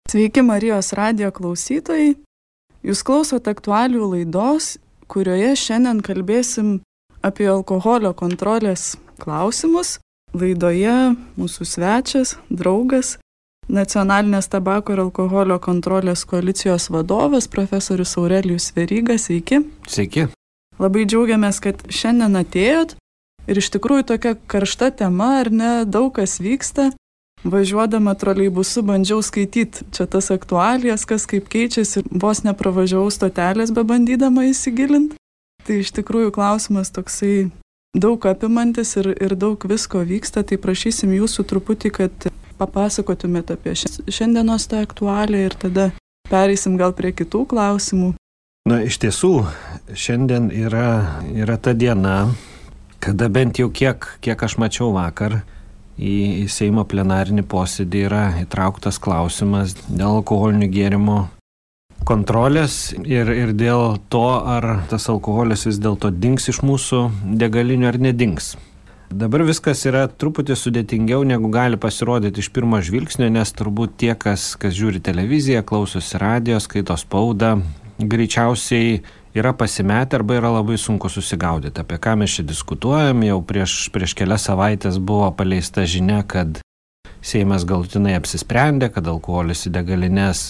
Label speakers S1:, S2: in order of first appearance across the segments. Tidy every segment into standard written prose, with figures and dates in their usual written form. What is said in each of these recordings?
S1: Sveiki Marijos radijo klausytojai. Jūs klausote aktualijų laidos, kurioje šiandien kalbėsim apie alkoholio kontrolės klausimus. Laidoje mūsų svečias, draugas, Nacionalinės tabako ir alkoholio kontrolės koalicijos vadovas, profesorius Aurelijus Veryga. Sveiki.
S2: Sveiki.
S1: Labai džiaugiamės, kad šiandien atėjot. Ir iš tikrųjų tokia karšta tema, ar ne, daug kas vyksta. Važiuodama troleibusu bandžiau skaityti čia tas aktualijas, kas kaip keičiasi, vos nepravažiavau stotelės bebandydama įsigilinti. Tai iš tikrųjų klausimas toksai daug apimantis ir daug visko vyksta, tai prašysim jūsų truputį, kad papasakotumėte apie šiandienos tą aktualiją ir tada pereisim gal prie kitų klausimų.
S2: Na, iš tiesų, šiandien yra ta diena, kada bent jau kiek aš mačiau vakar, į Seimo plenarinį posėdį yra įtrauktas klausimas dėl alkoholinių gėrimų kontrolės ir dėl to, ar tas alkoholis vis dėlto dings iš mūsų degalinių ar nedings. Dabar viskas yra truputį sudėtingiau, negu gali pasirodyti iš pirmo žvilgsnio, nes turbūt tie, kas žiūri televiziją, klausosi radijo, skaito spaudą, greičiausiai yra pasimetę arba yra labai sunku susigaudyti. Apie ką mes čia diskutuojam, jau prieš kelias savaitės buvo paleista žinia, kad Seimas galutinai apsisprendė, kad alkoholis į degalinės,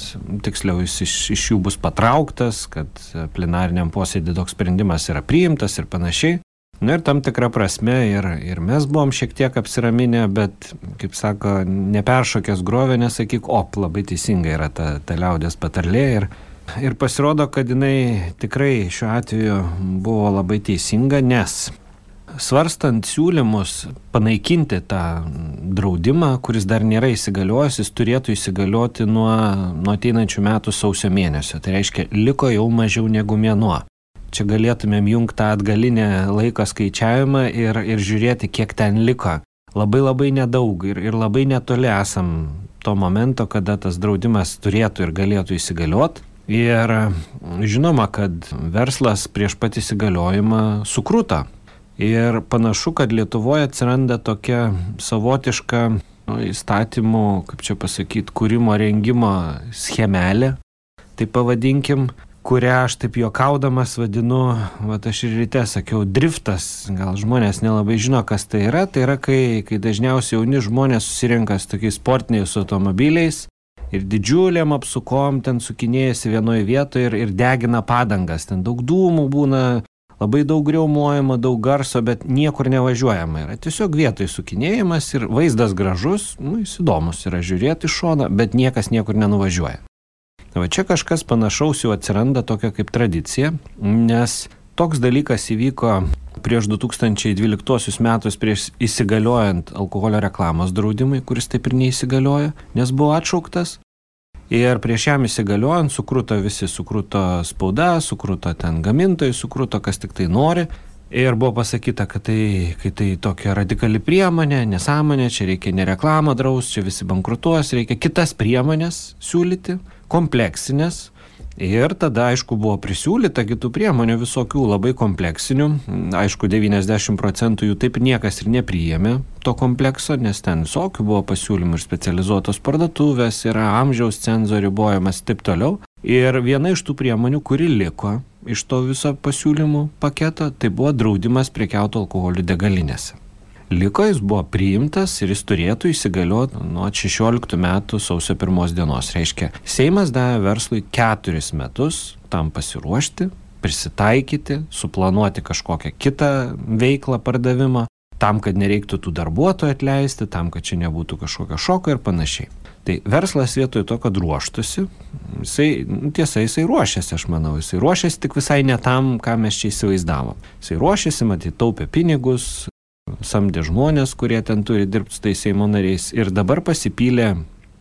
S2: tiksliau jis iš jų bus patrauktas, kad plenariniam posėdį toks sprendimas yra priimtas ir panašiai. Na ir tam tikra prasme ir mes buvom šiek tiek apsiraminę, bet, kaip sako, neperšokęs grovė, nesakyk, labai teisinga yra ta liaudės patarlė ir pasirodo, kad jinai tikrai šiuo atveju buvo labai teisinga, nes svarstant siūlymus panaikinti tą draudimą, kuris dar nėra įsigaliojęs, jis turėtų įsigalioti nuo ateinančių metų sausio mėnesio. Tai reiškia, liko jau mažiau negu mėnuo. Čia galėtumėm jungti tą atgalinę laiko skaičiavimą ir žiūrėti, kiek ten liko. Labai nedaug ir labai netoli esam to momento, kada tas draudimas turėtų ir galėtų įsigalioti. Ir žinoma, kad verslas prieš pat įsigaliojimą sukruto. Ir panašu, kad Lietuvoje atsiranda tokia savotiška įstatymų, kaip čia pasakyti, kūrimo rengimo schemelė, taip pavadinkim, kurią aš taip juokaudamas vadinu, aš ir ryte sakiau, driftas. Gal žmonės nelabai žino, kas tai yra, kai dažniausiai jauni žmonės susirenka su tokiais sportiniais automobiliais, ir didžiuliam apsukom ten sukinėjasi vienoje vietoje ir degina padangas. Ten daug dūmų būna, labai daug griaumojama, daug garso, bet niekur nevažiuojama. Yra tiesiog vietoje sukinėjimas ir vaizdas gražus, jis įdomus yra žiūrėti iš šono, bet niekas niekur nenuvažiuoja. Va čia kažkas panašaus jau atsiranda tokia kaip tradicija, nes toks dalykas įvyko prieš 2012 metus, prieš įsigaliojant alkoholio reklamos draudimui, kuris taip ir neįsigaliojo, nes buvo atšauktas. Ir prieš jam įsigaliojant sukruto spauda, sukruto ten gamintojai, sukruto kas tik tai nori. Ir buvo pasakyta, kad tai tokia radikali priemonė, nesąmonė, čia reikia ne reklamą draust, čia visi bankrutuos, reikia kitas priemonės siūlyti, kompleksinės. Ir tada, aišku, buvo prisiūlyta kitų priemonių visokių labai kompleksinių. Aišku, 90% jų taip niekas ir nepriėmė to komplekso, nes ten visokių buvo pasiūlymų ir specializuotos parduotuvės, yra amžiaus cenzo ribojimas ir taip toliau. Ir viena iš tų priemonių, kuri liko iš to viso pasiūlymų paketo, tai buvo draudimas prekiauti alkoholiu degalinėse. Liko, jis buvo priimtas ir jis turėtų įsigalioti nuo 16 metų sausio 1 dienos. Reiškia, Seimas davė verslui 4 metus tam pasiruošti, prisitaikyti, suplanuoti kažkokią kitą veiklą pardavimą, tam, kad nereiktų tų darbuotojų atleisti, tam, kad čia nebūtų kažkokio šoko ir panašiai. Tai verslas vietoj to, kad ruoštųsi, jisai ruošiasi, aš manau, jisai ruošiasi tik visai ne tam, ką mes čia įsivaizdavom. Jisai ruošiasi, matyt, taupė pinigus, samdė žmonės, kurie ten turi dirbti su tais Seimo nariais. Ir dabar pasipylė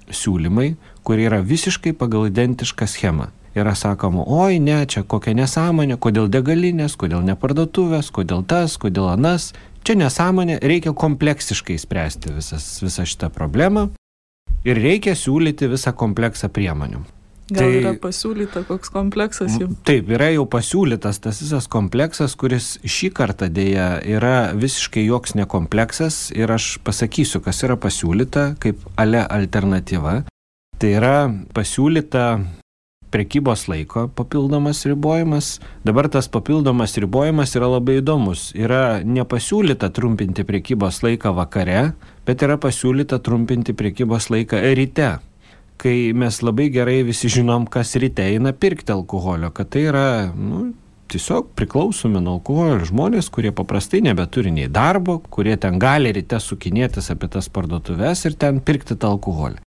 S2: siūlymai, kurie yra visiškai pagal identišką schemą. Yra sakoma, oi ne, čia kokia nesąmonė, kodėl degalinės, kodėl ne parduotuvės, kodėl tas, kodėl anas. Čia nesąmonė, reikia kompleksiškai spręsti visą šitą problemą ir reikia siūlyti visą kompleksą priemonių.
S1: Gal yra pasiūlyta koks kompleksas jau?
S2: Taip, yra jau pasiūlytas tas visas kompleksas, kuris šį kartą dėja yra visiškai joks nekompleksas ir aš pasakysiu, kas yra pasiūlyta kaip alternatyva. Tai yra pasiūlyta prekybos laiko papildomas ribojimas. Dabar tas papildomas ribojimas yra labai įdomus. Yra nepasiūlyta trumpinti prekybos laiką vakare, bet yra pasiūlyta trumpinti prekybos laiką ryte. Kai mes labai gerai visi žinom, kas ryte eina pirkti alkoholio, kad tai yra tiesiog priklausomi nuo alkoholio žmonės, kurie paprastai nebeturi nei darbo, kurie ten gali ryte sukinėtis apie tas parduotuves ir ten pirkti tą alkoholį.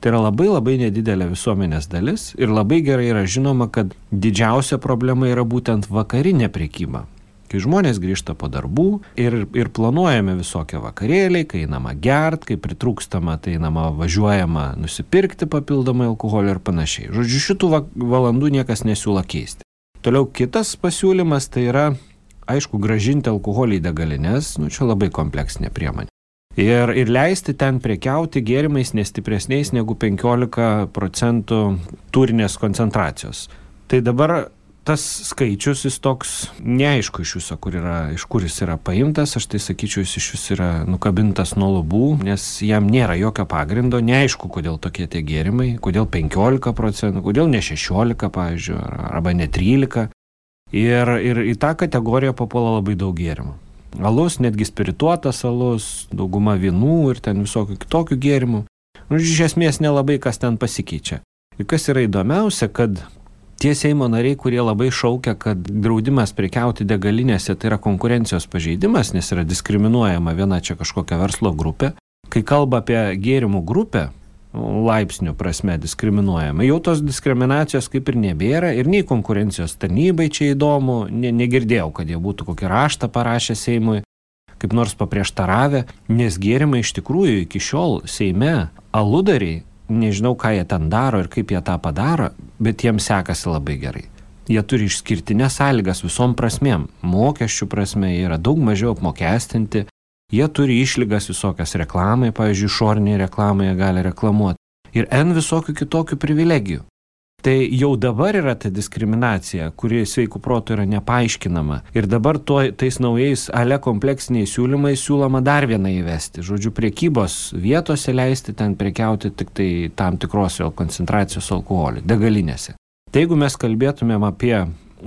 S2: Tai yra labai labai nedidelė visuomenės dalis ir labai gerai yra žinoma, kad didžiausia problema yra būtent vakarinė prekyba. Kai žmonės grįžta po darbų ir planuojame visokie vakarėliai, kai einama gert, kai pritrūkstama, tai einama važiuojama nusipirkti papildomai alkoholio ir panašiai. Žodžiu, šitų valandų niekas nesiūlo keisti. Toliau kitas pasiūlymas tai yra, aišku, grąžinti alkoholį į degalines, čia labai kompleksinė priemonė. Ir leisti ten prekiauti gėrimais nestipresniais negu 15% turinės koncentracijos. Tai dabar tas skaičius, jis toks neaišku iš viso, iš kur jis yra paimtas, aš tai sakyčiau, jis iš vis yra nukabintas nuo lubų, nes jam nėra jokio pagrindo, neaišku, kodėl tokie tie gėrimai, kodėl 15%, kodėl ne 16%, pavyzdžiui, arba ne 13%. Ir į tą kategoriją papuola labai daug gėrimų. Alus, netgi spirituotas alus, dauguma vynų ir ten visokių kitokių gėrimų. Iš esmės nelabai kas ten pasikeičia. Ir kas yra įdomiausia, kad tie Seimo nariai, kurie labai šaukia, kad draudimas prekiauti degalinėse tai yra konkurencijos pažeidimas, nes yra diskriminuojama viena čia kažkokia verslo grupė, kai kalba apie gėrimų grupę, laipsnių prasme diskriminuojama. Jau tos diskriminacijos kaip ir nebėra ir nei konkurencijos tarnybai čia įdomu, negirdėjau, kad jie būtų kokį raštą parašę Seimui, kaip nors paprieštaravę, nes gėrimai iš tikrųjų iki šiol Seime aludariai, nežinau, ką jie ten daro ir kaip jie tą padaro, bet jiems sekasi labai gerai. Jie turi išskirtinės sąlygas visom prasmėm. Mokesčių prasme jie yra daug mažiau apmokestinti. Jie turi išlygas visokias reklamai, pavyzdžiui, išoriniai reklamai jie gali reklamuoti. Ir N visokių kitokių privilegijų. Tai jau dabar yra ta diskriminacija, kuri sveikų protų yra nepaaiškinama. Ir dabar tais naujais kompleksiniais siūlymais siūloma dar vieną įvesti. Žodžiu, prekybos vietose leisti ten prekiauti tik tai tam tikros koncentracijos alkoholį, degalinėse. Tai jeigu mes kalbėtumėm apie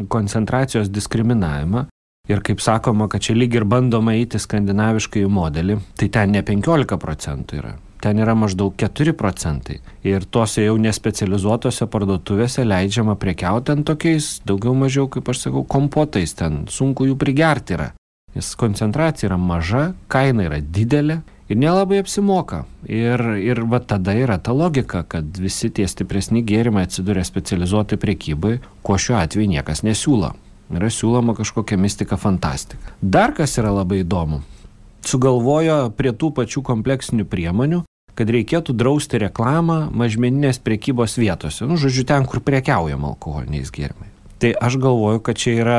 S2: koncentracijos diskriminavimą, ir kaip sakoma, kad čia lyg ir bandoma eiti skandinaviškai modelį, tai ten ne 15% yra. Ten yra maždaug 4%. Ir tose jau nespecializuotose parduotuvėse leidžiama prekiauti ten tokiais daugiau mažiau, kaip aš sakau, kompotais. Ten sunku jų prigerti yra. Nes koncentracija yra maža, kaina yra didelė ir nelabai apsimoka. Ir va tada yra ta logika, kad visi tie stipresni gėrimai atsiduria specializuotai prekybai, ko šiuo atveju niekas nesiūlo. Yra siūloma kažkokia mistika fantastika. Dar kas yra labai įdomu. Sugalvojo prie tų pačių kompleksinių priemonių, kad reikėtų drausti reklamą mažmeninės prekybos vietose. Žodžiu, ten, kur prekiaujama alkoholiniais gėrimai. Tai aš galvoju, kad čia yra,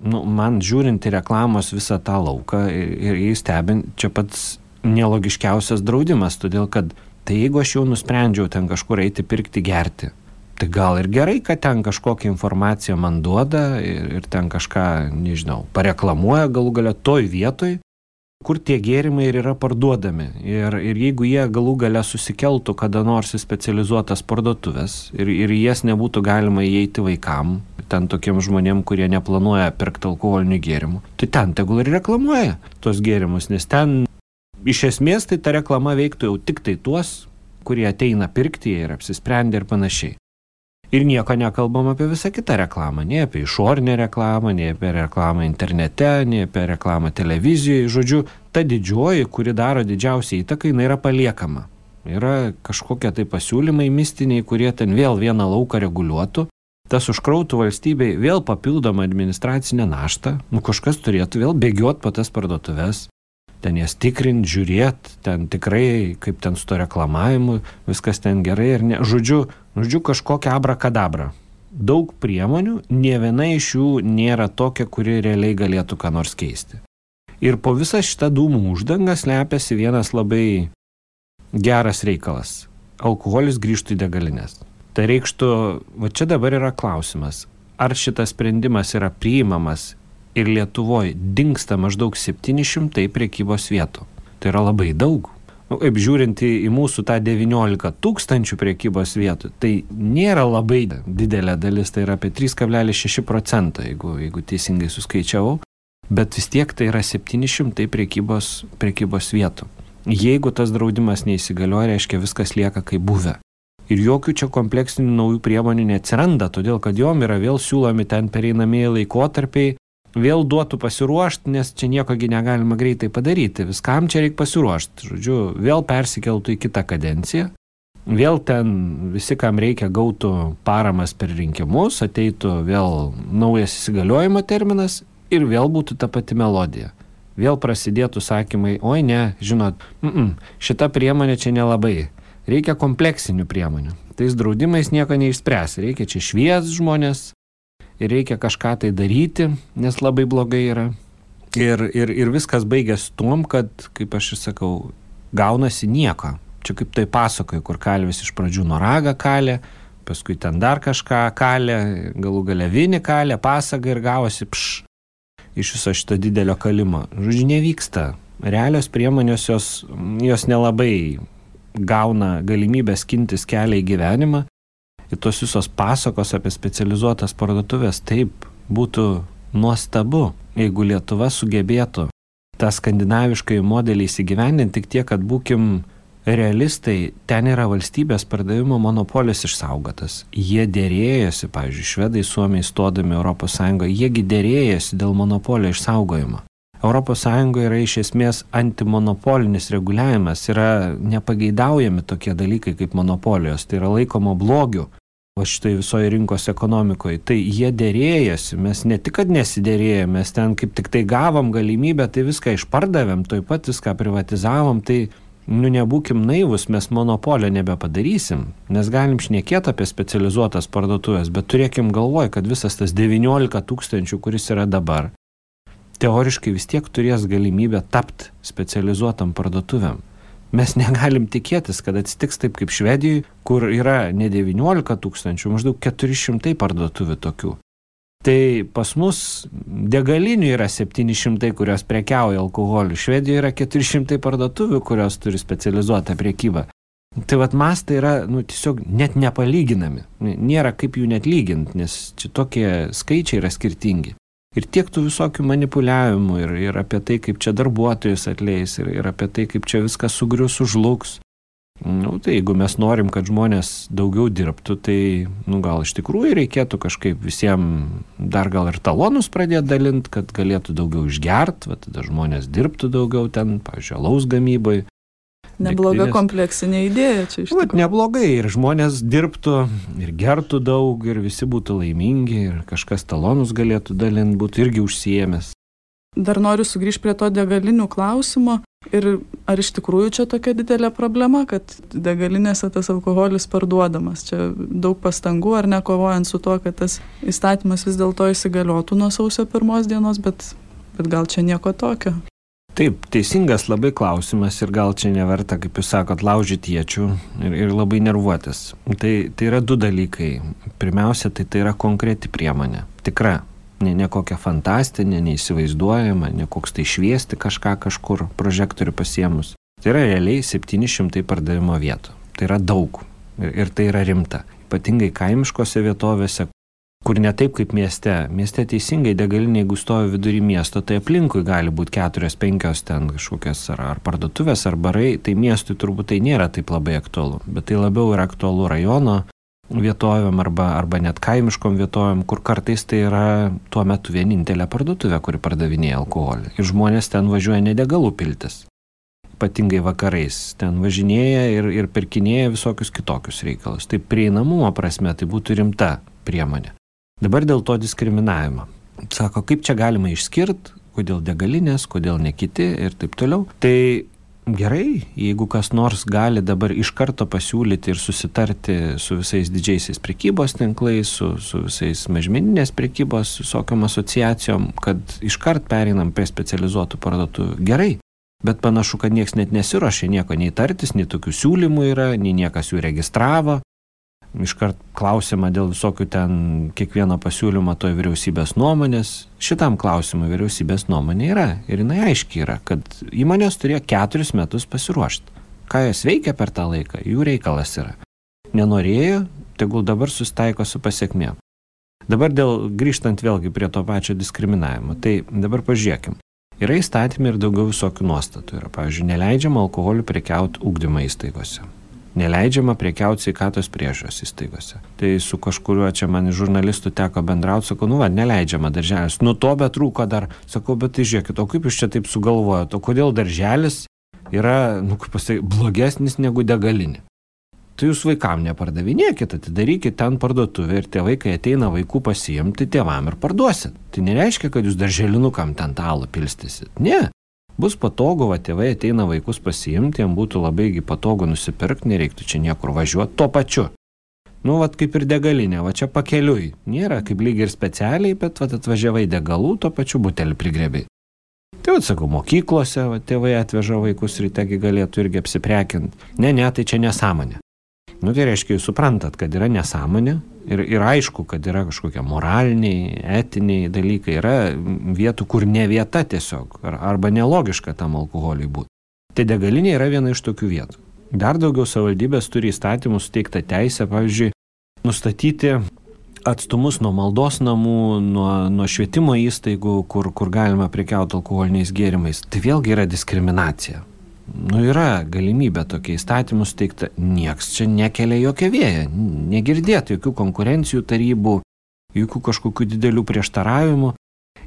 S2: man žiūrint į reklamos visą tą lauką ir jį stebint, čia pats nelogiškiausias draudimas, todėl kad tai jeigu aš jau nusprendžiau ten kažkur eiti pirkti gerti, tai gal ir gerai, kad ten kažkokią informaciją man duoda ir ten kažką, nežinau, pareklamuoja galų gale toj vietoj, kur tie gėrimai ir yra parduodami. Ir jeigu jie galų gale susikeltų kada nors į specializuotas parduotuvės ir jas nebūtų galima įeiti vaikam, ten tokiem žmonėm, kurie neplanuoja pirkti alkoholinių gėrimų, tai ten tegul ir reklamuoja tos gėrimus, nes ten iš esmės tai ta reklama veiktų jau tik tai tuos, kurie ateina pirkti ir apsisprendė ir panašiai. Ir nieko nekalbam apie visą kitą reklamą, nei apie išorinę reklamą, nei apie reklamą internete, nei apie reklamą televizijoje. Žodžiu, ta didžioji, kuri daro didžiausią įtaką, jinai yra paliekama. Yra kažkokie tai pasiūlymai mistiniai, kurie ten vėl vieną lauką reguliuotų. Tas užkrautų valstybei vėl papildomą administracinę naštą. Kažkas turėtų vėl bėgioti po tas parduotuves. Ten jas tikrint, žiūrėt, ten tikrai, kaip ten su to reklamavimu, viskas ten gerai ir ne. Žodžiu, kažkokia abrakadabra. Daug priemonių, nė viena iš jų nėra tokia, kuri realiai galėtų ką nors keisti. Ir po visą šitą dūmų uždangą slepiasi vienas labai geras reikalas. Alkoholis grįžtų į degalines. Tai reikštų, va čia dabar yra klausimas, ar šitas sprendimas yra priimamas ir Lietuvoje dingsta maždaug 700 prekybos vietų. Tai yra labai daug. Kaip žiūrint į mūsų tą 19 000 prekybos vietų, tai nėra labai didelė dalis, tai yra apie 3,6%, jeigu teisingai suskaičiavau, bet vis tiek tai yra 700 prekybos vietų. Jeigu tas draudimas neįsigalioja, reiškia viskas lieka kaip buvę. Ir jokių čia kompleksinių naujų priemonių neatsiranda, todėl kad jom yra vėl siūlomi ten pereinamieji laikotarpiai, vėl duotų pasiruošti, nes čia niekogi negalima greitai padaryti, viskam čia reikia pasiruošti. Žodžiu, vėl persikeltų į kitą kadenciją, vėl ten visi, kam reikia, gautų paramas per rinkimus, ateitų vėl naujas įsigaliojimo terminas ir vėl būtų ta pati melodija. Vėl prasidėtų sakymai, oi ne, žinot, šita priemonė čia nelabai. Reikia kompleksinių priemonių. Tais draudimais nieko neišspręs. Reikia čia šviest žmonės ir reikia kažką tai daryti, nes labai blogai yra. Ir viskas baigėsi tom, kad, kaip aš ir sakau, gaunasi nieko. Čia kaip tai pasakoju, kur kalvis iš pradžių noragą kalė, paskui ten dar kažką kalė, galų gale vinį kalė, pasagą ir gavosi iš viso šito didelio kalimo. Žodžiu, nevyksta. Realios priemonės jos nelabai gauna galimybę skintis kelią į gyvenimą. Ir tos visos pasakos apie specializuotas parduotuvės, taip būtų nuostabu, jeigu Lietuva sugebėtų tą skandinaviškai modelį įsigyvendinti, tik tiek, kad būkim realistai, ten yra valstybės pardavimo monopolis išsaugotas. Jie dėrėjosi, pavyzdžiui, švedai, suomiai stodami ES, jiegi dėrėjosi dėl monopolio išsaugojimo. ES yra iš esmės antimonopolinis reguliavimas, yra nepageidaujami tokie dalykai kaip monopolijos, tai yra laikoma blogiu va šitai visoje rinkos ekonomikoje. Tai jie dėrėjosi, mes ne tik, kad nesidėrėjome, mes ten kaip tik tai gavom galimybę, tai viską išpardavėm, tuoj pat viską privatizavom, tai nebūkim naivus, mes monopolio nebepadarysim, nes galim šnekėti apie specializuotas parduotuvės, bet turėkim galvoj, kad visas tas 19 000, kuris yra dabar, teoriškai vis tiek turės galimybę tapti specializuotam parduotuvėm. Mes negalim tikėtis, kad atsitiks taip kaip Švedijoje, kur yra ne 19 000, maždaug 400 parduotuvių tokių. Tai pas mus degalinių yra 700, kurios prekiauja alkoholiu. Švedijoje yra 400 parduotuvių, kurios turi specializuotą prekybą. Tai vat mastai yra tiesiog net nepalyginami. Nėra kaip jų net lyginti, nes čia tokie skaičiai yra skirtingi. Ir tiek tų visokių manipuliavimų ir apie tai, kaip čia darbuotojus atleis, ir apie tai, kaip čia viskas sugrius, sužlugs. Tai jeigu mes norim, kad žmonės daugiau dirbtų, tai gal iš tikrųjų reikėtų kažkaip visiems dar gal ir talonus pradėti dalinti, kad galėtų daugiau išgert, va tada žmonės dirbtų daugiau ten, pavyzdžiui, alaus gamybai.
S1: Nebloga kompleksinė idėja čia iš tikrųjų.
S2: Neblogai, ir žmonės dirbtų, ir gertų daug, ir visi būtų laimingi, ir kažkas talonus galėtų dalinti, būtų irgi užsiėmęs.
S1: Dar noriu sugrįžti prie to degalinių klausimo. Ir ar iš tikrųjų čia tokia didelė problema, kad degalinėse tas alkoholis parduodamas? Čia daug pastangų, ar ne, kovojant su to, kad tas įstatymas vis dėlto įsigaliotų nuo sausio 1 dienos, bet gal čia nieko tokio?
S2: Taip, teisingas labai klausimas ir gal čia neverta, kaip jūs sakot, laužyti iečių ir labai nervuotis. Tai yra du dalykai. Pirmiausia, tai yra konkreti priemonė. Tikra. Ne kokia fantastinė, neįsivaizduojama, ne koks tai šviesti kažką kažkur prožektorių pasiemus. Tai yra realiai 700 pardavimo vietų. Tai yra daug ir tai yra rimta. Ypatingai kaimiškose vietovėse, kur ne taip kaip mieste. Mieste teisingai degalinė, jeigu stovi vidury miesto, tai aplinkui gali būti 4-5 ten kažkokios ar parduotuvės, ar barai. Tai miestui turbūt tai nėra taip labai aktualu, bet tai labiau yra aktualu rajono vietovėm arba net kaimiškom vietovėm, kur kartais tai yra tuo metu vienintelė parduotuvė, kuri pardavinėja alkoholį. Ir žmonės ten važiuoja ne degalų piltis, ypatingai vakarais. Ten važinėja ir pirkinėja visokius kitokius reikalus. Tai prieinamumo prasme tai būtų rimta priemonė. Dabar dėl to diskriminavimo. Sako, kaip čia galima išskirti, kodėl degalinės, kodėl ne kiti ir taip toliau. Tai gerai, jeigu kas nors gali dabar iš karto pasiūlyti ir susitarti su visais didžiaisiais prekybos tinklais, su visais mažmeninės prekybos visokiom asociacijom, kad iškart pereinam prie specializuotų parduotuvių. Gerai, bet panašu, kad nieks net nesiruošia nieko nei tartis, nei tokių siūlymų yra, nei niekas jų registravo. Iškart klausiama dėl visokių ten kiekvieno pasiūlymo toj vyriausybės nuomonės. Šitam klausimui vyriausybės nuomonė yra ir jinai aiškiai yra, kad įmonės turėjo 4 metus pasiruošti. Ką jos veikia per tą laiką, jų reikalas yra. Nenorėjo, tegul dabar susitaiko su pasiekmėm. Dabar grįžtant vėlgi prie to pačio diskriminavimo, tai dabar pažiūrėkim. Yra įstatymai ir daugiau visokių nuostatų. Yra, pavyzdžiui, neleidžiama alkoholiu prekiauti ugdymo įstaigose. Neleidžiama prekiauti sveikatos priežiūros įstaigose. Tai su kažkuriuo čia man iš žurnalistų teko bendrauti, sakau, neleidžiama darželis. To betrūko dar. Sakau, bet tai žiūrėkit, o kaip jūs čia taip sugalvojot? O kodėl darželis yra, blogesnis negu degalinė? Tai jūs vaikam nepardavinėkit, atidarykit ten parduotuvę ir tėvai, kai ateina vaikų pasiimti, tėvam ir parduosit. Tai nereiškia, kad jūs darželinukam ten talų pilstysit. Ne. Bus patogu, tėvai ateina vaikus pasiimti, jam būtų labai patogu nusipirkti, nereiktų čia niekur važiuoti tuo pačiu. Kaip ir degalinė, čia pakeliui. Nėra kaip lygiai ir specialiai, bet atvažiavai degalų, tuo pačiu butelį prigrebiai. Tai sakau, mokyklose tėvai atveža vaikus rytegi galėtų irgi apsiprekinti. Ne, tai čia nesąmonė. Tai reiškia, jūs suprantat, kad yra nesąmonė ir aišku, kad yra kažkokie moraliniai, etiniai dalykai, yra vietų, kur ne vieta tiesiog, arba nelogiška tam alkoholiui būti. Tai degalinė yra viena iš tokių vietų. Dar daugiau savivaldybės turi įstatymų suteiktą teisę, pavyzdžiui, nustatyti atstumus nuo maldos namų, nuo švietimo įstaigų, kur galima prekiauti alkoholiniais gėrimais. Tai vėlgi yra diskriminacija. Yra galimybė tokia įstatymų steigta, nieks čia nekelia jokią vėją, negirdėti jokių konkurencijų tarybų, jokių kažkokių didelių prieštaravimų.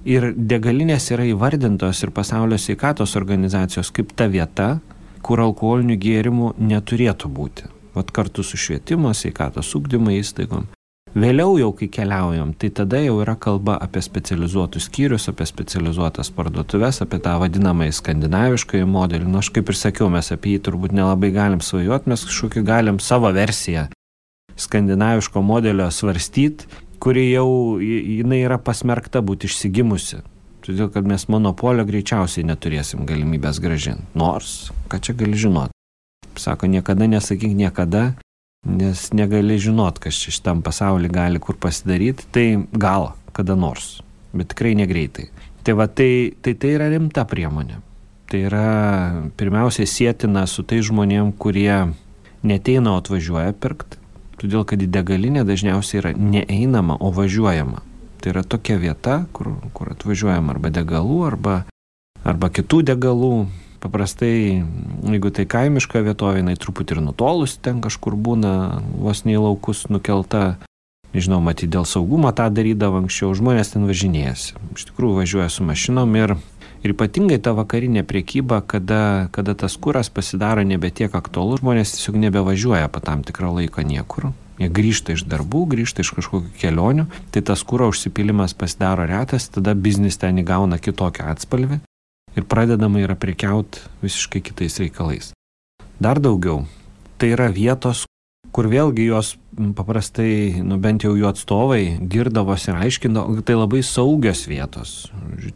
S2: Ir degalinės yra įvardintos ir Pasaulio sveikatos organizacijos kaip ta vieta, kur alkoholinių gėrimų neturėtų būti. Kartu su švietimo, sveikatos ugdymo įstaigom. Vėliau jau, kai keliaujam, tai tada jau yra kalba apie specializuotus skyrius, apie specializuotas parduotuves, apie tą vadinamąjį skandinaviškąjį modelį. Aš kaip ir sakiau, mes apie jį turbūt nelabai galim svajoti, mes kažkokį galim savo versiją skandinaviško modelio svarstyti, kuri jau jinai yra pasmerkta būti išsigimusi. Todėl, kad mes monopolio greičiausiai neturėsim galimybės grąžinti. Nors, ką čia gali žinoti? Sako, niekada nesakyk niekada, nes negali žinot, kas čia šitam pasaulyje gali kur pasidaryti, tai gal kada nors, bet tikrai negreitai. Tai yra rimta priemonė. Tai yra pirmiausiai sietina su tai žmonėm, kurie neteina, o atvažiuoja pirkti, todėl kad į degalinę dažniausiai yra neeinama, o važiuojama. Tai yra tokia vieta, kur atvažiuojama arba degalų, arba kitų degalų. Paprastai, jeigu tai kaimiška vietovė, jinai truputį ir nutolus, ten kažkur būna vos ne į laukus nukelta, nežinau, matyt, dėl saugumo tą darydavo anksčiau, žmonės ten važinėjasi. Iš tikrųjų važiuoja su mašinom ir ypatingai ta vakarinė prekyba, kada tas kuras pasidaro nebe tiek aktualus, žmonės tiesiog nebevažiuoja po tam tikrą laiką niekur. Jie grįžta iš darbų, grįžta iš kažkokių kelionių, tai tas kuro užsipylimas pasidaro retas, tada biznis ten įgauna kitokią atspalvį. Ir pradedama yra prekiauti visiškai kitais reikalais. Dar daugiau, tai yra vietos, kur vėlgi jos paprastai, bent jau jų atstovai, girdavosi ir aiškindavo, tai labai saugios vietos.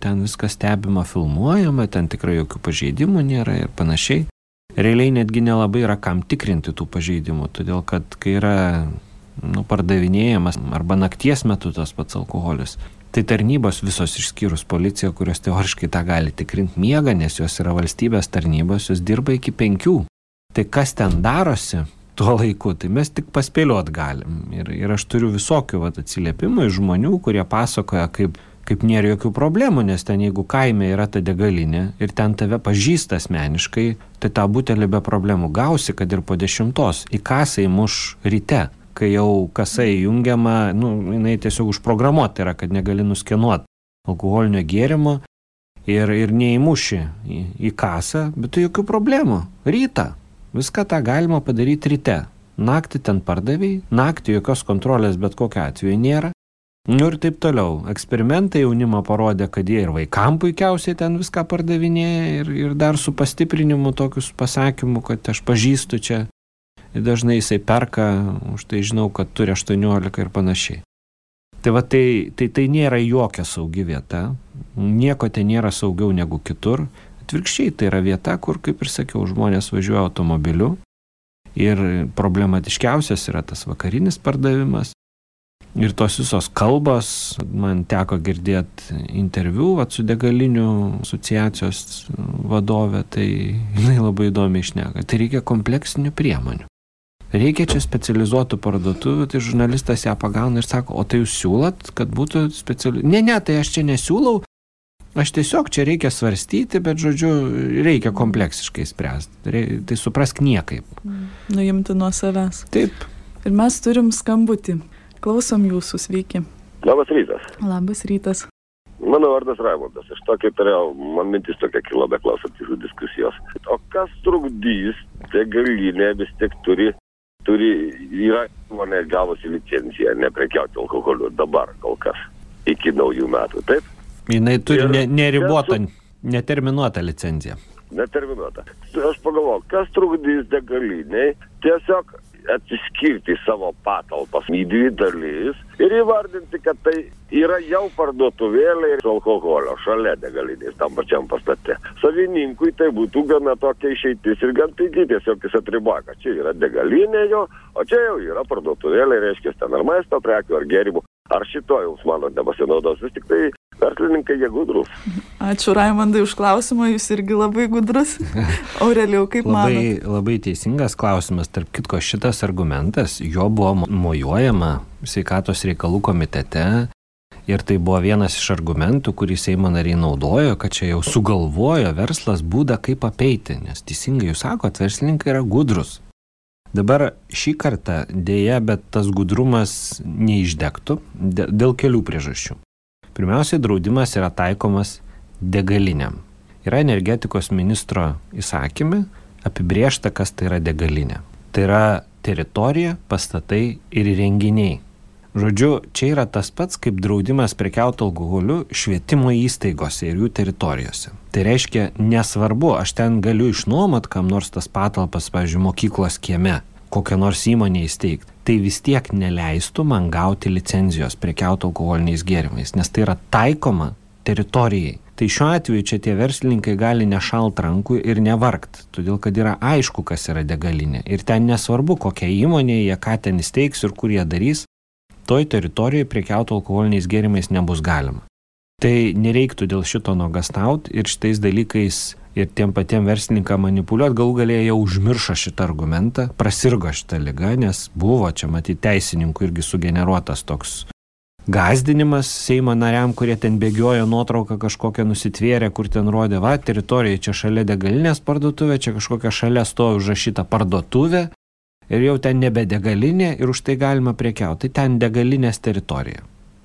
S2: Ten viskas stebima, filmuojama, ten tikrai jokių pažeidimų nėra ir panašiai. Realiai netgi nelabai yra kam tikrinti tų pažeidimų, todėl kad kai yra pardavinėjamas arba nakties metu tas pats alkoholis, tai tarnybos visos išskyrus policija, kurios teoriškai tą gali tikrinti, miega, nes jos yra valstybės tarnybos, jos dirba iki 5. Tai kas ten darosi tuo laiku, tai mes tik paspėliot galim. Ir aš turiu visokių atsiliepimų iš žmonių, kurie pasakoja, kaip nėra jokių problemų, nes ten jeigu kaime yra ta degalinė ir ten tave pažįsta asmeniškai, tai tą butelį be problemų gausi, kad ir po 10. Į kasą įmuš ryte. Kai jau kasa įjungiama, jinai tiesiog užprogramuota yra, kad negali nuskenuoti alkoholinio gėrimo ir neįmuši į kasą, bet tai jokių problemų. Rytą. Viską tą galima padaryti ryte. Naktį ten pardaviai, naktį jokios kontrolės bet kokiu atveju nėra. Ir taip toliau. Eksperimentai jaunimo parodė, kad jie ir vaikam puikiausiai ten viską pardavinėja ir dar su pastiprinimu tokius pasakymu, kad aš pažįstu čia. Ir dažnai jisai perka, už tai žinau, kad turi 18 ir panašiai. Tai nėra jokia saugi vieta, nieko ten nėra saugiau negu kitur. Atvirkščiai, tai yra vieta, kur, kaip ir sakiau, žmonės važiuoja automobiliu ir problematiškiausias yra tas vakarinis pardavimas. Ir tos visos kalbos, man teko girdėti interviu su degalinių asociacijos vadove, tai jinai labai įdomiai šneka. Tai reikia kompleksinių priemonių. Reikia čia specializuotų parduotuvių, tai žurnalistas ją pagauna ir sako, o tai jūs siūlat, kad būtų Ne, tai aš čia nesiūlau, aš tiesiog čia reikia svarstyti, bet žodžiu, reikia kompleksiškai spręsti. Tai suprask niekaip.
S1: Nuimti nuo savęs.
S2: Taip.
S1: Ir mes turim skambutį. Klausom jūsų, sveiki.
S3: Labas rytas.
S1: Labas rytas.
S3: Mano vardas Raimondas. Aš tokį turėjau, man mintis tokia kilo beklausant jūsų diskusijos. O kas trukdys, degalinė vis tiek yra įmonė gavusi licenciją neprekiauti alkoholiu dabar kol kas, iki naujų metų, taip?
S2: Jinai turi neribotą, neterminuotą licenciją.
S3: Neterminuotą. Aš pagalvoju, kas trukdys degaliniai tiesiog atsiskirti savo patalpas į dvi dalis ir įvardinti, kad tai yra jau parduotuvėlė ir alkoholio šalia degalinės tam pačiam pastate. Savininkui tai būtų gana tokia išeitis ir gan taigi tiesiog jis atriboja, kad čia yra degalinė jo, o čia jau yra parduotuvėlė, reiškia ten ar maisto prekių, ar gėrimų. Ar šito jūs manot nepasinaudos? Vis tik tai verslininkai jie gudrus.
S1: Ačiū Raimondai už klausimą, jūs irgi labai gudrus. Aurelijau, kaip manot?
S2: Labai teisingas klausimas. Tarp kitko, šitas argumentas, jo buvo mojuojama sveikatos reikalų komitete ir tai buvo vienas iš argumentų, kurį Seimo nariai naudojo, kad čia jau sugalvojo verslas būdą kaip apeiti, nes teisingai jūs sakot, verslininkai yra gudrus. Dabar šį kartą dėja, bet tas gudrumas neišdegtų dėl kelių priežasčių. Pirmiausiai, draudimas yra taikomas degaliniam. Yra energetikos ministro įsakyme apibrėžta, kas tai yra degalinė. Tai yra teritorija, pastatai ir įrenginiai. Žodžiu, čia yra tas pats, kaip draudimas prekiauti alkoholiu švietimo įstaigose ir jų teritorijose. Tai reiškia, nesvarbu, aš ten galiu išnuomot kam nors tas patalpas, pavyzdžiui, mokyklos kieme, kokią nors įmonę įsteigti. Tai vis tiek neleistų man gauti licenzijos prekiauti alkoholiniais gėrimais, nes tai yra taikoma teritorijai. Tai šiuo atveju čia tie verslininkai gali nešalt rankų ir nevargt, todėl kad yra aišku, kas yra degalinė. Ir ten nesvarbu, kokia įmonė, jie ką ten įsteigs ir kur jie darys, toj teritorijoje prekiauti alkoholiniais gėrimais nebus galima. Tai nereiktų dėl šito nuogąstaut ir šitais dalykais ir tiem patiem verslininkam manipuliuoti, galų galėje jau užmiršo šitą argumentą, prasirgo šitą ligą, nes buvo čia matyti teisininkų irgi sugeneruotas toks gąsdinimas Seimo nariam, kurie ten bėgiojo nuotrauką kažkokią nusitvėrę, kur ten rodė, teritorija čia šalia degalinės parduotuvė, čia kažkokia šalia stovi užrašyta parduotuvė ir jau ten nebe degalinė ir už tai galima prekiauti. Tai ten degalinės teritorija.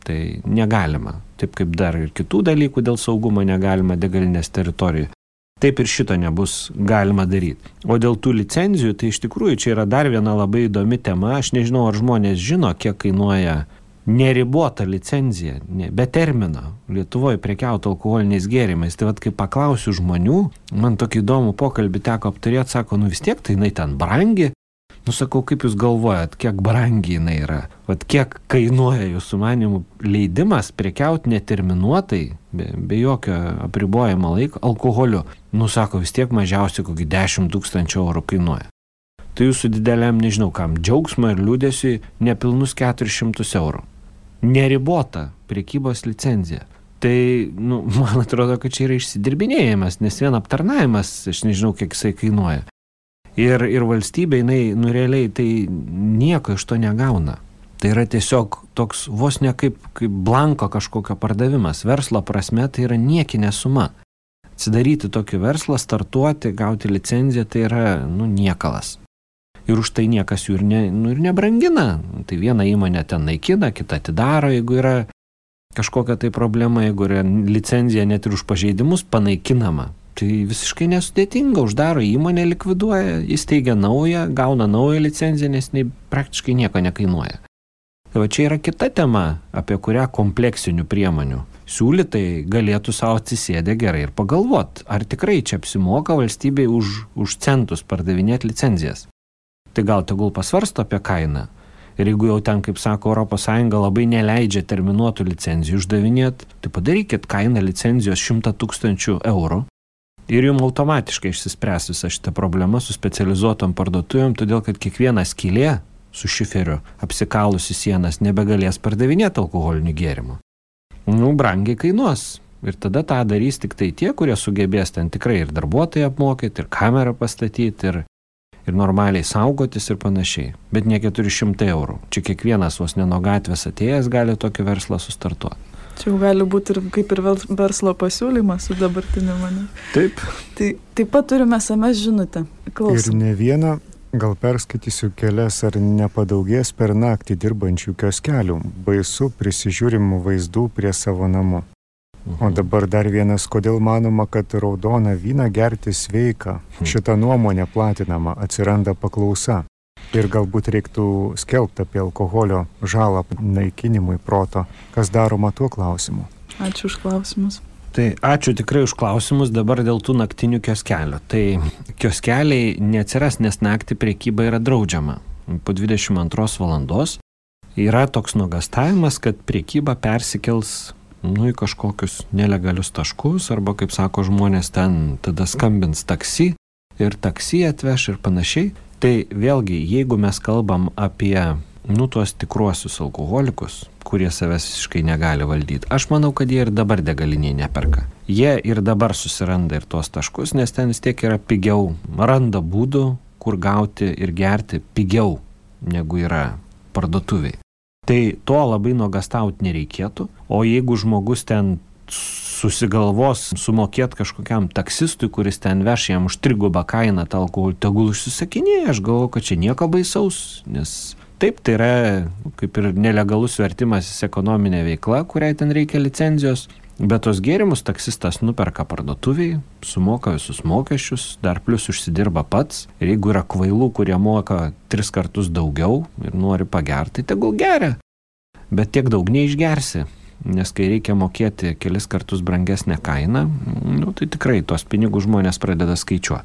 S2: Tai negalima. Taip kaip dar ir kitų dalykų dėl saugumo negalima degalinės teritorijoje. Taip ir šito nebus galima daryti. O dėl tų licenzijų, tai iš tikrųjų čia yra dar viena labai įdomi tema. Aš nežinau, ar žmonės žino, kiek kainuoja neribota licenzija, be termino Lietuvoje prekiauti alkoholiniais gėrimais. Tai vat, kai paklausiu žmonių, man tokį įdomų pokalbį teko aptarėti, sako, nu vis tiek tai jinai ten brangi. Nu sakau, kaip jūs galvojat, kiek brangi jinai yra? Vat kiek kainuoja jūsų manimų leidimas prekiauti neterminuotai, be jokio apribojimo laiko alkoholiu? Nu sako, vis tiek mažiausiai kokį 10 000 eurų kainuoja. Tai jūsų dideliam, nežinau kam, džiaugsmo ir liūdesiui nepilnus 400 eurų. Neribota prekybos licenzija. Tai, man atrodo, kad čia yra išsidirbinėjimas, nes vien aptarnavimas, aš nežinau, kiek jisai kainuoja. Ir valstybė, jinai, realiai, tai nieko iš to negauna. Tai yra tiesiog toks vos ne kaip blanko kažkokio pardavimas. Verslo prasme tai yra niekinė suma. Atsidaryti tokį verslą, startuoti, gauti licenciją, tai yra, niekalas. Ir už tai niekas jų ir nebrangina. Tai viena įmonė ten naikina, kita atidaro, jeigu yra kažkokia tai problema, jeigu yra licenzija net ir už pažeidimus panaikinama. Tai visiškai nesudėtinga, uždaro įmonę, likviduoja, įsteigia naują, gauna naują licenciją, nes jinai praktiškai nieko nekainuoja. Tai va čia yra kita tema, apie kurią kompleksinių priemonių siūlytojai galėtų savo atsisėdę gerai ir pagalvot, ar tikrai čia apsimoka valstybei už centus pardavinėti licencijas. Tai gal tegul pasvarsto apie kainą. Ir jeigu jau ten, kaip sako, ES labai neleidžia terminuotų licencijų uždavinėti, tai padarykit kainą licencijos 100 000 eurų. Ir jums automatiškai išsispręs visą šitą problemą su specializuotom parduotuvėm, todėl kad kiekviena skylė su šiferiu apsikalusi sienas nebegalės pardavinėti alkoholinių gėrimų. Brangiai kainuos. Ir tada tą darys tik tai tie, kurie sugebės ten tikrai ir darbuotojai apmokyti, ir kamerą pastatyti, ir normaliai saugotis ir panašiai. Bet ne 400 eurų. Čia kiekvienas vos ne nuo gatvės atėjęs gali tokį verslą sustartuoti.
S1: Čia jau gali būti ir kaip ir verslo pasiūlymas su dabartiniu mane.
S2: Taip.
S1: Taip pat turime SMS žinutę. Klausom.
S4: Ir ne vieną, gal perskaitysiu kelias, ar nepadaugės per naktį dirbančių kioskelių. Baisu prisižiūrimų vaizdų prie savo namų. O dabar dar vienas, kodėl manoma, kad raudoną vyną gerti sveika. Šita nuomonė platinama, atsiranda paklausa. Ir galbūt reiktų skelbti apie alkoholio žalą naikinimui proto. Kas daroma tuo klausimu?
S1: Ačiū už klausimus.
S2: Tai ačiū tikrai už klausimus dabar dėl tų naktinių kioskelių. Tai kioskeliai neatsiras, nes naktį prekyba yra draudžiama. Po 22 valandos yra toks nuogąstavimas, kad prekyba persikels į kažkokius nelegalius taškus, arba, kaip sako žmonės, ten tada skambins taksi ir taksi atveš ir panašiai. Tai vėlgi, jeigu mes kalbam apie tuos tikruosius alkoholikus, kurie savęs visiškai negali valdyti, aš manau, kad jie ir dabar degaliniai neperka. Jie ir dabar susiranda ir tuos taškus, nes ten vis tiek yra pigiau, randa būdų, kur gauti ir gerti pigiau, negu yra parduotuviai. Tai to labai nuogąstauti nereikėtų, o jeigu žmogus ten susigalvos sumokėti kažkokiam taksistui, kuris ten veš jam už 3 kainą tą alkoholį, tegul užsisakinėja, aš galvoju, kad čia nieko baisaus, nes taip, tai yra kaip ir nelegalus vertimasis ekonominė veikla, kuriai ten reikia licenzijos, bet tos gėrimus taksistas nuperka parduotuviai, sumoka visus mokesčius, dar plus užsidirba pats, ir jeigu yra kvailų, kurie moka 3 kartus daugiau ir nori pagerti, tegul geria, bet tiek daug neišgersi. Nes kai reikia mokėti kelis kartus brangesnę kainą, tai tikrai tos pinigų žmonės pradeda skaičiuoti.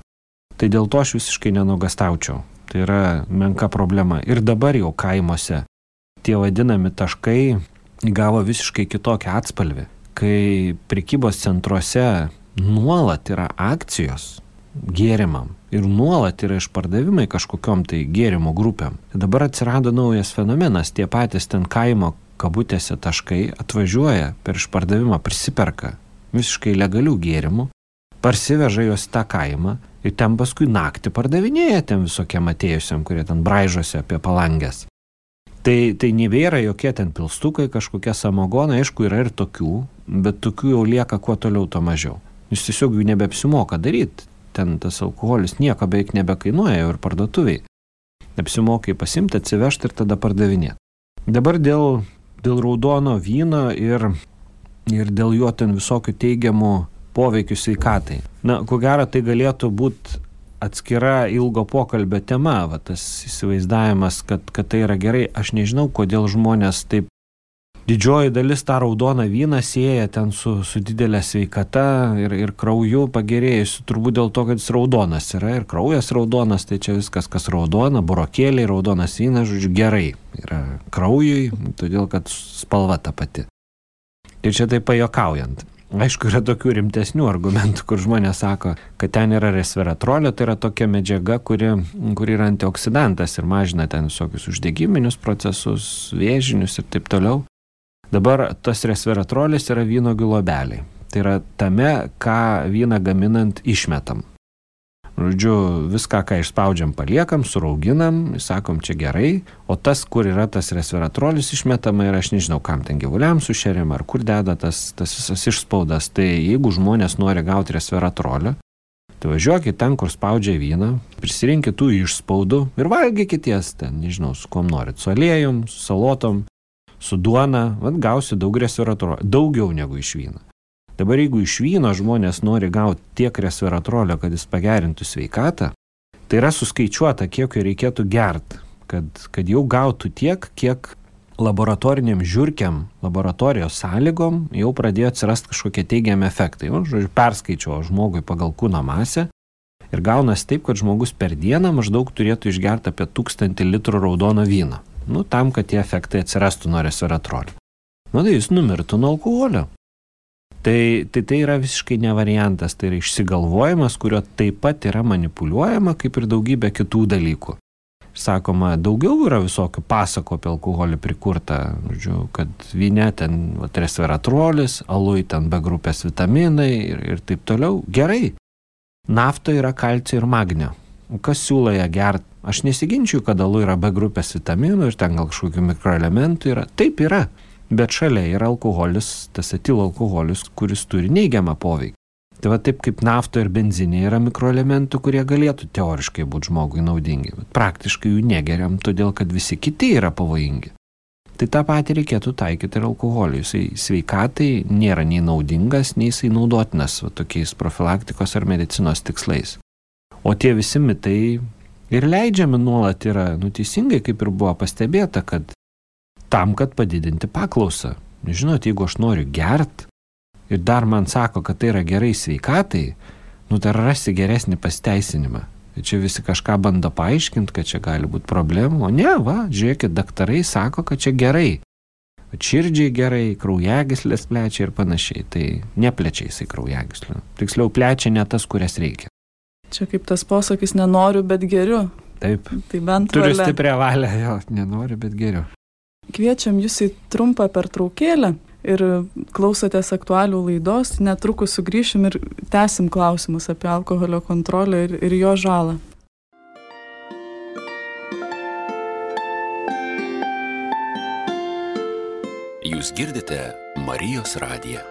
S2: Tai dėl to aš visiškai nenuogąstaučiau. Tai yra menka problema. Ir dabar jau kaimuose tie vadinami taškai įgavo visiškai kitokią atspalvį. Kai prekybos centruose nuolat yra akcijos gėrimam ir nuolat yra išpardavimai kažkokiom tai gėrimų grupėm. Dabar atsirado naujas fenomenas, tie patys ten kaimo kabutėse taškai atvažiuoja per išpardavimą, prisiperka visiškai legalių gėrimų, parsiveža juos į tą kaimą ir ten paskui naktį pardavinėja ten visokiem atėjusiam, kurie ten braižosi apie palangės. Tai nebėra jokie ten pilstukai, kažkokie samogonai, aišku, yra ir tokių, bet tokių jau lieka kuo toliau, to mažiau. Jūs tiesiog jų nebeapsimoka daryti. Ten tas alkoholis nieko beveik nebekainuoja jau ir parduotuviai. Apsimokai pasimti, atsivežti ir tada pardavinėti. Dabar dėl raudono vyno ir dėl jo ten visokių teigiamų poveikių sveikatai. Ko gero, tai galėtų būti atskira ilgo pokalbio tema, tas įsivaizdavimas, kad tai yra gerai. Aš nežinau, kodėl žmonės taip didžioji dalis tą raudoną vyną sieja ten su didelė sveikata ir krauju pagerėjusiu. Turbūt dėl to, kad jis raudonas yra ir kraujas raudonas, tai čia viskas, kas raudona, burokėliai, raudonas vynas, žodžiu, gerai yra kraujui, todėl kad spalva ta pati. Ir čia taip pajuokaujant. Aišku, yra tokių rimtesnių argumentų, kur žmonės sako, kad ten yra resveratrolio, tai yra tokia medžiaga, kuri yra antioksidantas ir mažina ten visokius uždegiminius procesus, vėžinius ir taip toliau. Dabar tas resveratrolis yra vynuogių lobeliai. Tai yra tame, ką vyną gaminant išmetam. Žodžiu, viską, ką išspaudžiam, paliekam, surauginam, sakom, čia gerai, o tas, kur yra tas resveratrolis išmetama ir aš nežinau, kam ten gyvuliams sušeriam, ar kur deda tas visas išspaudas. Tai jeigu žmonės nori gauti resveratrolio, tai važiuokit ten, kur spaudžia vyną, prisirinkit tų išspaudų ir valgykit jas ten, nežinau, su kuom norit, su aliejum, su salotom, su duona, gausi daug resveratrolio, daugiau negu iš vyno. Dabar jeigu iš vyno žmonės nori gauti tiek resveratrolio, kad jis pagerintų sveikatą, tai yra suskaičiuota, kiek jo reikėtų gerti, kad jau gautų tiek, kiek laboratoriniam žiurkiam, laboratorijos sąlygom jau pradėjo atsirasti kažkokie teigiami efektai. Žodžiu, perskaičiuo žmogui pagal kūno masę ir gaunasi taip, kad žmogus per dieną maždaug turėtų išgerti apie 1000 litrų raudono vyno. Tam, kad tie efektai atsirastų nuo resveratrolio. Tai jis numirtų nuo alkoholio. Tai yra visiškai ne variantas, tai yra išsigalvojimas, kurio taip pat yra manipuliuojama, kaip ir daugybė kitų dalykų. sakoma, daugiau yra visokių pasakų apie alkoholį prikurta, kad vyne ten resveratrolis, alui ten B grupės vitaminai ir taip toliau. Gerai, naftoje yra kalcio ir magnio. Kas siūlo ją gerti? Aš nesiginčiu, kad alui yra B grupės vitaminų ir ten gal kažkokių mikroelementų yra. Taip yra, bet šalia yra alkoholis, tas etilo alkoholis, kuris turi neigiamą poveikį. Tai va taip kaip nafto ir benzinė yra mikroelementų, kurie galėtų teoriškai būti žmogui naudingi, bet praktiškai jų negeriam, todėl kad visi kiti yra pavojingi. Tai tą patį reikėtų taikyti ir alkoholiui. Jisai sveikatai nėra nei naudingas, nei jisai naudotinas tokiais profilaktikos ar medicinos tikslais. O tie visi mitai ir leidžiami nuolat yra, teisingai kaip ir buvo pastebėta, kad tam, kad padidinti paklausą. Žinot, jeigu aš noriu gert, ir dar man sako, kad tai yra gerai sveikatai, tai rasi geresnį pasiteisinimą. Čia visi kažką bando paaiškinti, kad čia gali būti problemų. O ne, žiūrėkit, daktarai sako, kad čia gerai. Širdžiai gerai, kraujagyslės plečia ir panašiai. Tai neplečia jisai kraujagyslių. Tiksliau, plečia ne tas, kurias reikia.
S1: Čia kaip tas posakis, nenoriu, bet geriu.
S2: Taip.
S1: Tai bent
S2: turiu stiprią valią, nenoriu, bet geriu.
S1: Kviečiam jūs į trumpą pertraukėlę. Ir klausotės aktualių laidos, netrukus sugrįšim ir tęsim klausimus apie alkoholio kontrolę ir jo žalą.
S5: Jūs girdite Marijos radiją.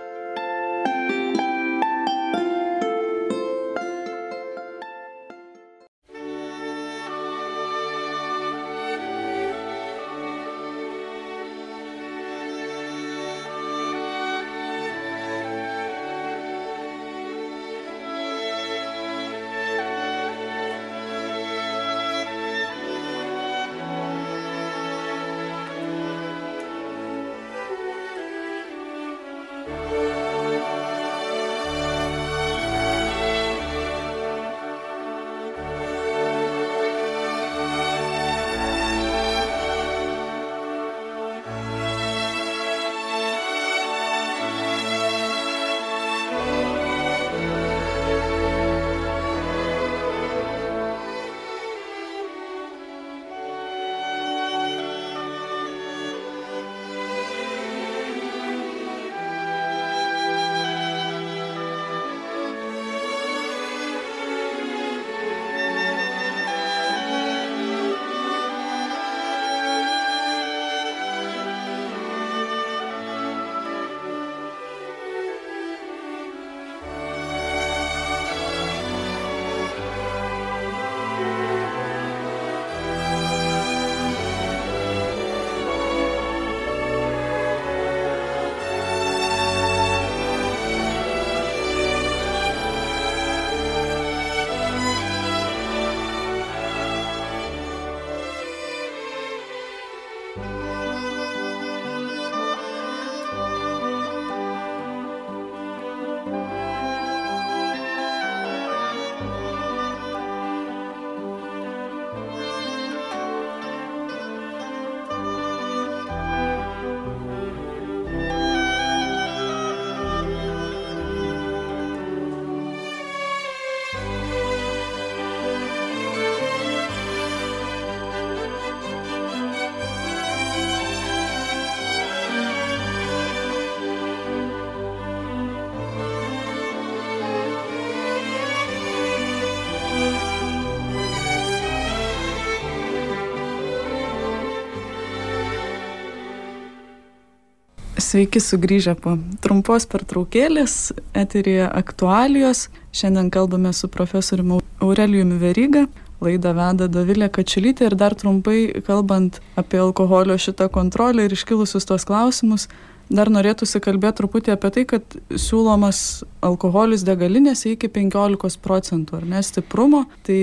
S1: Sveiki sugrįžę po trumpos pertraukėlės, eteryje aktualijos. Šiandien kalbame su profesoriumi Aurelijumi Veryga, laidą veda Dovilė Kačiulytė ir dar trumpai kalbant apie alkoholio šitą kontrolę ir iškilusius tos klausimus, dar norėtųsi kalbėti truputį apie tai, kad siūlomas alkoholis degalinėse iki 15%, ar ne, stiprumo. Tai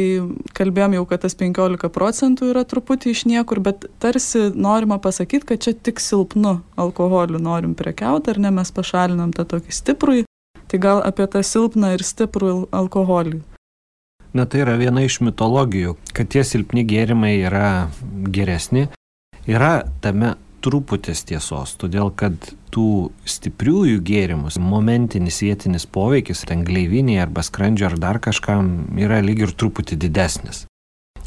S1: kalbėjom jau, kad tas 15% yra truputį iš niekur, bet tarsi norima pasakyti, kad čia tik silpnu alkoholiu norim prekiauti, ar ne, mes pašalinam tą tokį stiprųjį. Tai gal apie tą silpną ir stiprų alkoholį.
S2: Na tai yra viena iš mitologijų, kad tie silpni gėrimai yra geresni. Yra tame truputis tiesos, todėl kad tų stipriųjų gėrimus momentinis vietinis poveikis ten gleivinėje arba skrandžio ar dar kažkam yra lyg ir truputį didesnis.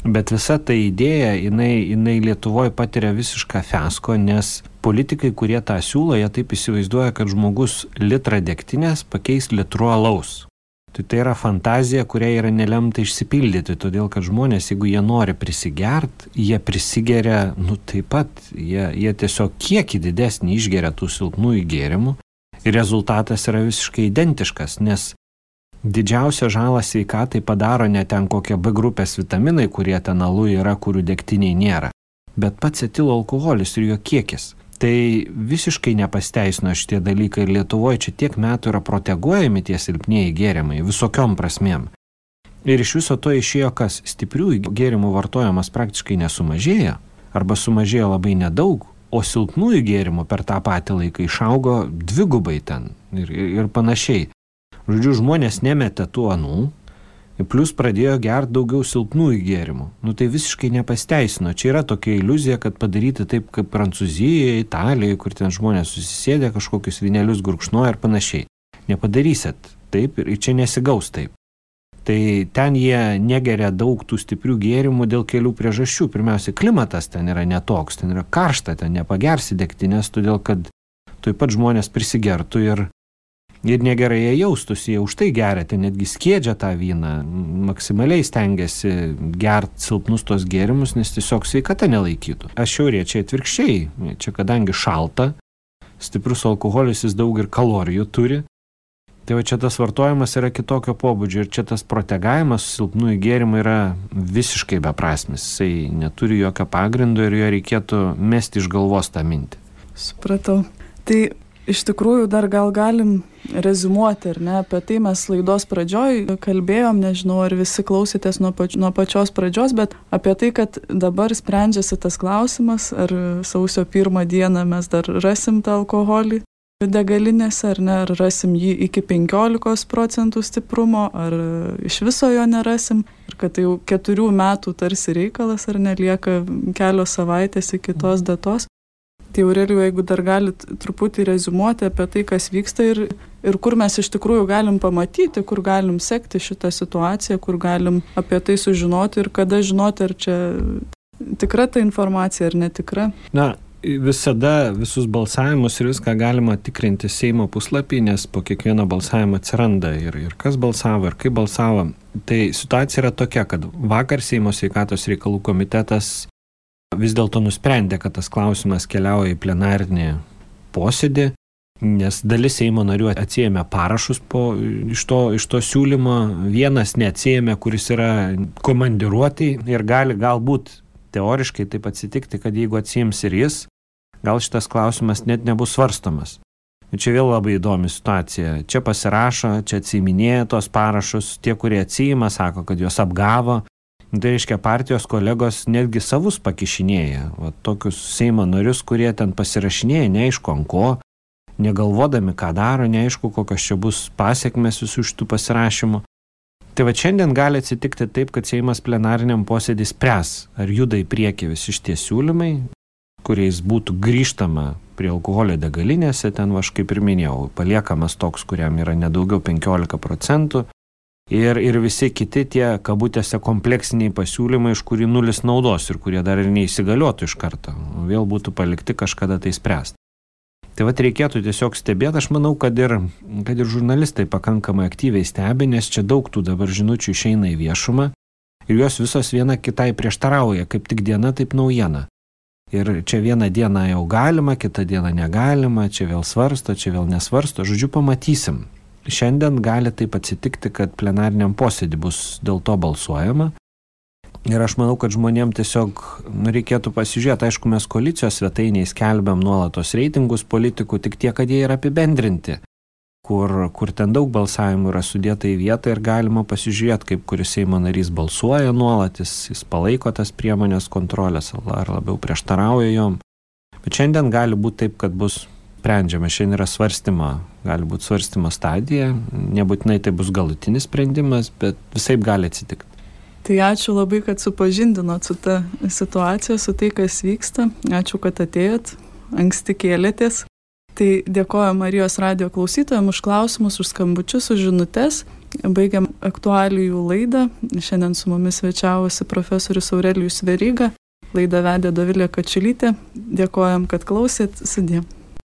S2: Bet visa ta idėja, jinai Lietuvoje patiria visišką fiasko, nes politikai, kurie tą siūlo, jie taip įsivaizduoja, kad žmogus litrą degtinės pakeis litru alaus. Tai yra fantazija, kuriai yra nelemta išsipildyti, todėl kad žmonės, jeigu jie nori prisigert, jie prisigeria, taip pat, jie tiesiog kiekį didesnį išgeria tų silpnųjų gėrimų ir rezultatas yra visiškai identiškas, nes didžiausią žalą sveikatai padaro ne ten kokie B grupės vitaminai, kurie ten alų yra, kurių degtiniai nėra, bet pats etilo alkoholis ir jo kiekis. Tai visiškai nepasteisino šitie dalykai ir Lietuvoje čia tiek metų yra proteguojami tie silpnieji gėrimai, visokiom prasmėm. Ir iš viso to išėjo kas? Stipriųjų gėrimų vartojimas praktiškai nesumažėjo, arba sumažėjo labai nedaug, o silpnųjų gėrimų per tą patį laiką išaugo dvigubai ten ir panašiai. Žodžiu, žmonės nemetė tų anų, plus pradėjo gerti daugiau silpnųjų gėrimų. Tai visiškai nepasteisino. Čia yra tokia iliuzija, kad padaryti taip kaip Prancūzijoje, Italijoje, kur ten žmonės susisėdė, kažkokius vynelius gurkšnoja ir panašiai. Nepadarysit taip ir čia nesigaus taip. Tai ten jie negeria daug tų stiprių gėrimų dėl kelių priežasčių. Pirmiausia, klimatas ten yra netoks, ten yra karšta, ten nepagersi degtinės, todėl kad taip pat žmonės prisigertų ir negerai jie jaustųsi, jie už tai geria, ten netgi skiedžia tą vyną, maksimaliai stengiasi gerti silpnus tos gėrimus, nes tiesiog sveikata nelaikytų. Šiauriečiai atvirkščiai, čia kadangi šalta, stiprus alkoholis jis daug ir kalorijų turi, tai va čia tas vartojimas yra kitokio pobūdžio ir čia tas protegavimas silpnųjų gėrimų yra visiškai beprasmis, jisai neturi jokio pagrindo ir jo reikėtų mesti iš galvos tą mintį.
S1: Supratau. Tai iš tikrųjų dar gal galim reziumuoti, ar ne, apie tai mes laidos pradžioj kalbėjom, nežinau, ar visi klausėtės nuo pačios pradžios, bet apie tai, kad dabar sprendžiasi tas klausimas, ar sausio 1 dieną mes dar rasim tą alkoholį degalinėse, ar ne, ar rasim jį iki 15% stiprumo, ar iš viso jo nerasim, ir kad tai jau 4 metų tarsi reikalas, ar nelieka kelios savaitės iki tos datos. Tai Aurelijau, jeigu dar galit truputį reziumuoti apie tai, kas vyksta ir kur mes iš tikrųjų galim pamatyti, kur galim sekti šitą situaciją, kur galim apie tai sužinoti ir kada žinoti, ar čia tikra ta informacija ar netikra.
S2: Visada visus balsavimus ir viską galima tikrinti Seimo puslapį, nes po kiekvieno balsavimo atsiranda ir kas balsavo, ir kaip balsavo. Tai situacija yra tokia, kad vakar Seimo sveikatos reikalų komitetas vis dėlto nusprendė, kad tas klausimas keliauja į plenarinį posėdį, nes dalis Seimo narių atsiėmė parašus iš to siūlymo, vienas neatsiėmė, kuris yra komandiruotei ir gali galbūt teoriškai taip atsitikti, kad jeigu atsiims ir jis, gal šitas klausimas net nebus svarstomas. Čia vėl labai įdomi situacija. Čia pasirašo, čia atsiiminėja tos parašus, tie, kurie atsiima, sako, kad juos apgavo. Tai reiškia, partijos kolegos netgi savus pakišinėja. Tokius Seimo narius, kurie ten pasirašinėja, neaišku ant ko, negalvodami, ką daro, neaišku, kokios čia bus pasiekmes visų šitų pasirašymų. Tai šiandien gali atsitikti taip, kad Seimas plenariniam posėdį spręs, ar juda į priekį visi šitie siūlymai, kuriais būtų grįžtama prie alkoholio degalinėse, ten aš kaip ir minėjau, paliekamas toks, kuriam yra nedaugiau 15%. Ir visi kiti tie, kabutėse, kompleksiniai pasiūlymai, iš kurių nulis naudos ir kurie dar ir neįsigaliotų iš karto, vėl būtų palikti kažkada tai spręsti. Tai reikėtų tiesiog stebėti, aš manau, kad ir žurnalistai pakankamai aktyviai stebi, nes čia daug tų dabar žinučių išeina į viešumą ir jos visos viena kitai prieštarauja, kaip tik diena, taip naujiena. Ir čia vieną dieną jau galima, kitą dieną negalima, čia vėl svarsto, čia vėl nesvarsto, žodžiu, pamatysim. Šiandien gali taip atsitikti, kad plenariniam posėdį bus dėl to balsuojama. Ir aš manau, kad žmonėm tiesiog reikėtų pasižiūrėti. Aišku, mes koalicijos svetainiai skelbiam nuolatos reitingus politikų, tik tiek, kad jie yra apibendrinti, kur ten daug balsavimų yra sudėta į vietą ir galima pasižiūrėti, kaip kuris Seimo narys balsuoja nuolat, jis palaiko tas priemonės kontrolės ar labiau prieštarauja jom. Bet šiandien gali būti taip, kad bus sprendžiama. Šiandien yra gali būti svarstymo stadija, nebūtinai tai bus galutinis sprendimas, bet visaip gali atsitikti.
S1: Tai ačiū labai, kad supažindinot su ta situacija, su tai, kas vyksta. Ačiū, kad atėjot, anksti kėlėtės. Tai dėkoju Marijos radijo klausytojams už klausimus, už skambučius, už žinutes. Baigiam aktualijų laidą. Šiandien su mumis svečiavosi profesorius Aurelijus Veryga. Laidą vedė Dovilė Kačiulytė. Dėkojam, kad klausėt. Sudie.